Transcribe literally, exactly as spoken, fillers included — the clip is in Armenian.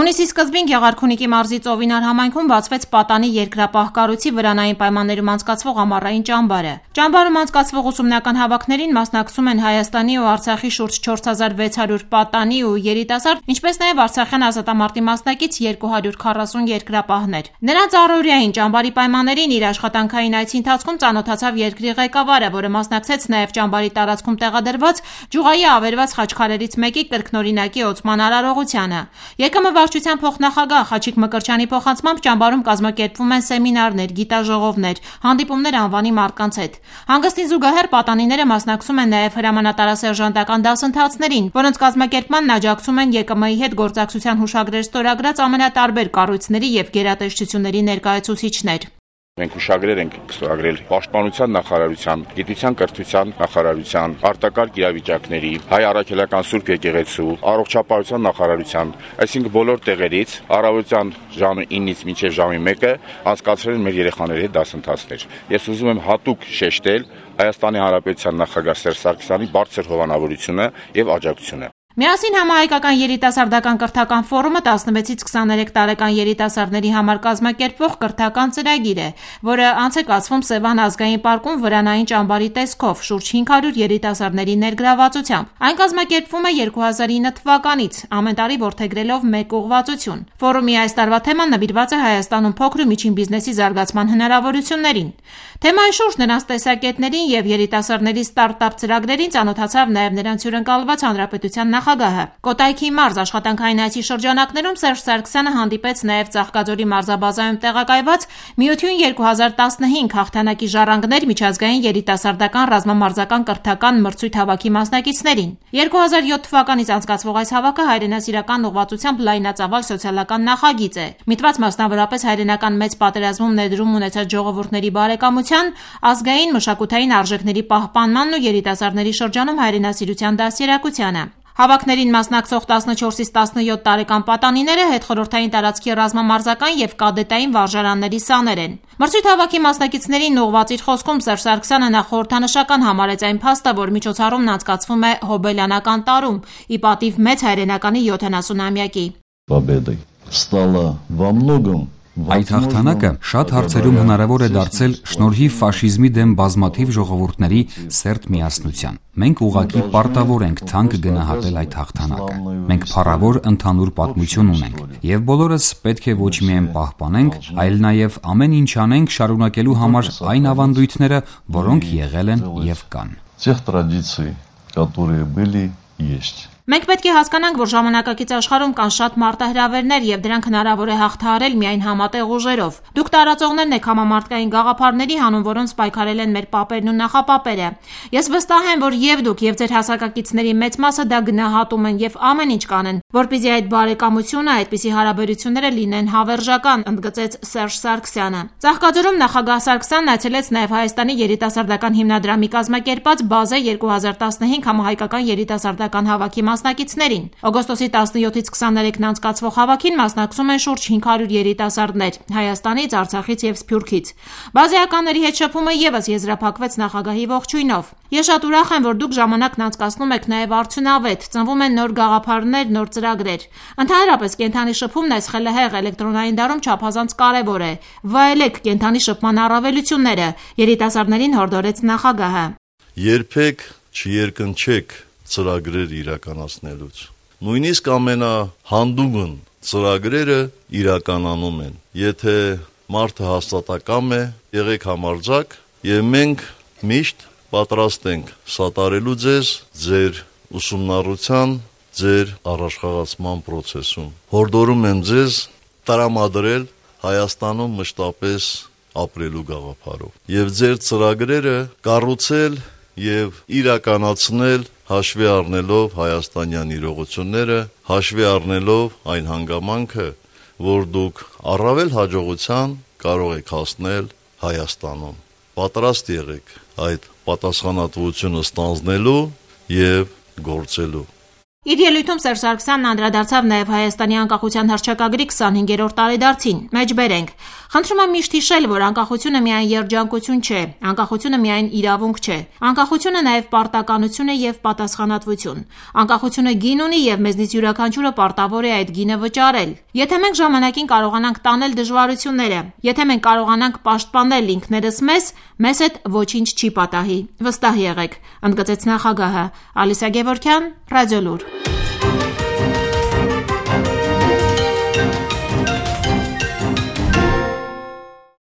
Հունիսի սկզբին Գեղարքունիքի մարզի Ծովինար համայնքում բացվեց պատանի երկրապահ կառույցի վրանային պայմաններում անցկացվող ամառային ճամբարը։ Ճամբարում անցկացվող ուսումնական հավաքներին մասնակցում են Հայաստանի ու Արցախի շուրջ չորս հազար վեց հարյուր պատանի ու երիտասարդ, ինչպես նաև Արցախյան ազատամարտի մասնակից երկու հարյուր քառասուն երկրապահներ։ Նրանց առօրյային ճամբարի պայմաններին իր աշխատանքային այցի ընթացքում ծանոթացավ երկրի ղեկավարը, որը մասնակցեց նաև ճամբարի տարածքում տեղադրված ջուղայի ավերված խաչքարերից մեկի կրկնօրինակի օծման արարողությանը։ ԵԿՄ վարչության փոխնախագահ Խաչիկ Մկրտչյանի փոխանցմամբ ճամբարում կազմակերպվում են սեմինարներ, գիտաժողովներ, հանդիպումներ անվանի մարդկանց հետ։ Հանգստին զուգահեռ պատանիները մասնակցում են նաև հրամանատարասերժանտական դասընթացներին, որոնց կազմակերպմանն աջակցում են ԵԿՄ-ի հետ գործակցության հուշագրեր ստորագրած ամենատարբեր կառույցների եւ գերատեսչությունների ներկայացուցիչներ։ Մենք հուշագրեր ենք ստորագրել Պաշտպանության նախարարության, Գիտության կրթության նախարարության, արտակարգ իրավիճակների, Հայ առաքելական Սուրբ եկեղեցու, Առողջապահության նախարարության, այսինքն բոլոր տեղերից առավոտյան ժամը ինից մինչև ժամի մեկը անցկացրել են մեր երեխաների հետ դասընթացներ։ Ես ուզում եմ հատուկ շեշտել Հայաստանի Հանրապետության նախագահ Սերժ Սարգսյանի բարձր հովանավորությունը եւ աջակցությունը։ Միասին համահայկական երիտասարդական կրթական ֆորումը տասնվեցից քսաներեք տարեկան երիտասարդների համար կազմակերպվող կրթական ծրագիր է, որը անց է կացվում Սևան ազգային պարկում վրանային ճամբարի տեսքով շուրջ հինգ հարյուր երիտասարդների ներգրավվածությամբ։ Այն կազմակերպվում է երկու հազար ինը թվականից, ամեն տարի որդեգրելով մեկ ուղղվածություն։ Ֆորումի այս տարվա թեման նվիրված է Հայաստանում փոքր ու միջին բիզնեսի զարգացման հնարավորություններին։ Թեմայի շուրջ նրանց տեսակետներին եւ երիտասարդների ստարտափ ծրագրերին ծանոթացավ նաև նրանց հյուրընկալված հանրապետության նախագահը։ Կոտայքի մարզ աշխատանքային այցի շրջանակներում Սերժ Սարգսյանը հանդիպեց նաև Ծաղկաձորի մարզաբազայում տեղակայված Միություն երկու հազար տասնհինգ հաղթանակի ժառանգներ միջազգային երիտասարդական ռազմամարզական կրթական մրցույթ հավաքի մասնակիցներին։ երկու հազար յոթ թվականից անցկացվող այս հավաքը հայրենասիրական ուղղվածությամբ լայնածավալ սոցիալական նախագիծ է։ Միտված մասնավորապես հայրենական մեծ պատերազմում ներդրում ունեցած ժողովուրդների բարեկամության, ազգային մշակութային արժեքների պահպանմանն ու երիտասարդների շրջանում հայրենասիրության դաստիարակությանը։ Հավաքներին մասնակցող տասնչորսից տասնյոթ տարեկան պատանիները հետխորհրդային տարածքի ռազմամարզական եւ կադետային վարժարանների սաներ են։ Մրցույթ հավաքի մասնակիցներին ուղղված իր խոսքում Սերժ Սարգսյանը նախորդանշական համարեց այն փաստը, որ միջոցառումն անցկացվում է հոբելյանական տարում՝ ի պատիվ մեծ հայրենականի յոթանասունամյակի։ Победой стало во многом Այդ հաղթանակը շատ հարցերում հնարավոր է դարձել շնորհիվ ֆաշիզմի դեմ բազմաթիվ ժողովուրդների սերտ միասնության։ Մենք ուղղակի պարտավոր ենք թանկ գնահատել այդ հաղթանակը։ Մենք փառավոր ընդհանուր պատմություն ունենք, եւ բոլորս պետք է ոչ միայն պահպանենք, այլ նաեւ ամեն ինչ անենք շարունակելու համար այն ավանդույթները, որոնք եղել են եւ կան։ Тех традиций, которые были, есть. Մենք պետք է հասկանանք, որ ժամանակակից աշխարհում կան շատ մարտահրավերներ եւ դրանք հնարավոր է հաղթահարել միայն համատեղ ուժերով։ Դուք տարածողներն եք համամարտկային գաղափարների, հանուն որոնց պայքարել են մեր պապերն ու նախապապերը։ Ես վստահ եմ, որ եւ դուք եւ ձեր հասակակիցների մեծ մասը դա գնահատում են եւ ամեն ինչ կանեն, որպեսզի այդ բարեկամությունը, այդպիսի հարաբերությունները լինեն հավերժական, ընդգծեց Սերժ Սարգսյանը։ Ծաղկաձորում նախագահ Սարգսյանն այցելեց նաեւ Հայաստանի երիտասարդական հիմնադրամի կազմակերպած Բազե երկու հազար տասնհինգ համահայկական երիտասարդական հավաքի մասնակիցներին։ Օգոստոսի տասնյոթից քսաներեքն անցկացվող հավաքին մասնակցում են շուրջ հինգ հարյուր երիտասարդներ Հայաստանից, Արցախից եւ Սփյուռքից։ Բազեականների հետ շփումը եւս եզրափակվեց նախագահի ողջույնով։ Ես շատ ուրախ եմ, որ դուք ժամանակն անցկացնում եք նաեւ արդյունավետ, ծնվում են նոր գաղափարներ, նոր ծրագրեր։ Ընդհանրապես կենդանի շփումն այս խելահեղ էլեկտրոնային դարում չափազանց կարեւոր է։ Վայելեք կենդանի շփման առավելությունները, երիտասարդներին հորդորեց նախագահը։ Երբեք չերկնչեք ծրագրեր իրականացնելուց։ Նույնիսկ ամենահանդուգն ծրագրերը իրականանում են։ Եթե մարդը հաստատակամ է, եղեք համարձակ եւ մենք միշտ պատրաստ ենք սատարելու ձեզ ձեր ուսումնառության, ձեր առաջխաղացման process-ում։ Հորդորում եմ ձեզ տրամադրել Հայաստանում մշտապես ապրելու գաղափարով եւ ձեր ծրագրերը կառուցել եւ իրականացնել հաշվի առնելով հայաստանյան իրողությունները, հաշվի առնելով այն հանգամանքը, որ դուք առավել հաջողության կարող եք հասնել Հայաստանում։ Պատրաստ եղեք այդ պատասխանատվությունը ստանձնելու եւ գործելու։ Իր ելույթում Սերժ Սարգսյանն անդրադարձավ նաև Հայաստանի անկախության հռչակագրի քսանհինգերորդ տարեդարձին։ Մեջբերենք։ Խնդրում եմ միշտ հիշել, որ անկախությունը միայն երջանկություն չէ, անկախությունը միայն իրավունք չէ։ Անկախությունը նաև պարտականություն է եւ պատասխանատվություն։ Անկախությունը գին ունի եւ մեզնից յուրաքանչյուրը պարտավոր է այդ գինը վճարել։ Եթե մենք ժամանակին կարողանանք տանել դժվարությունները, եթե մենք կարողանանք պաշտպանել ինքներս մեզ, մեզ հետ ոչինչ չի պատահի։ Վստահ եղեք, ընդգծեց նախագահը։ Ալիսա Գևորգյան, Ռադիոլուր։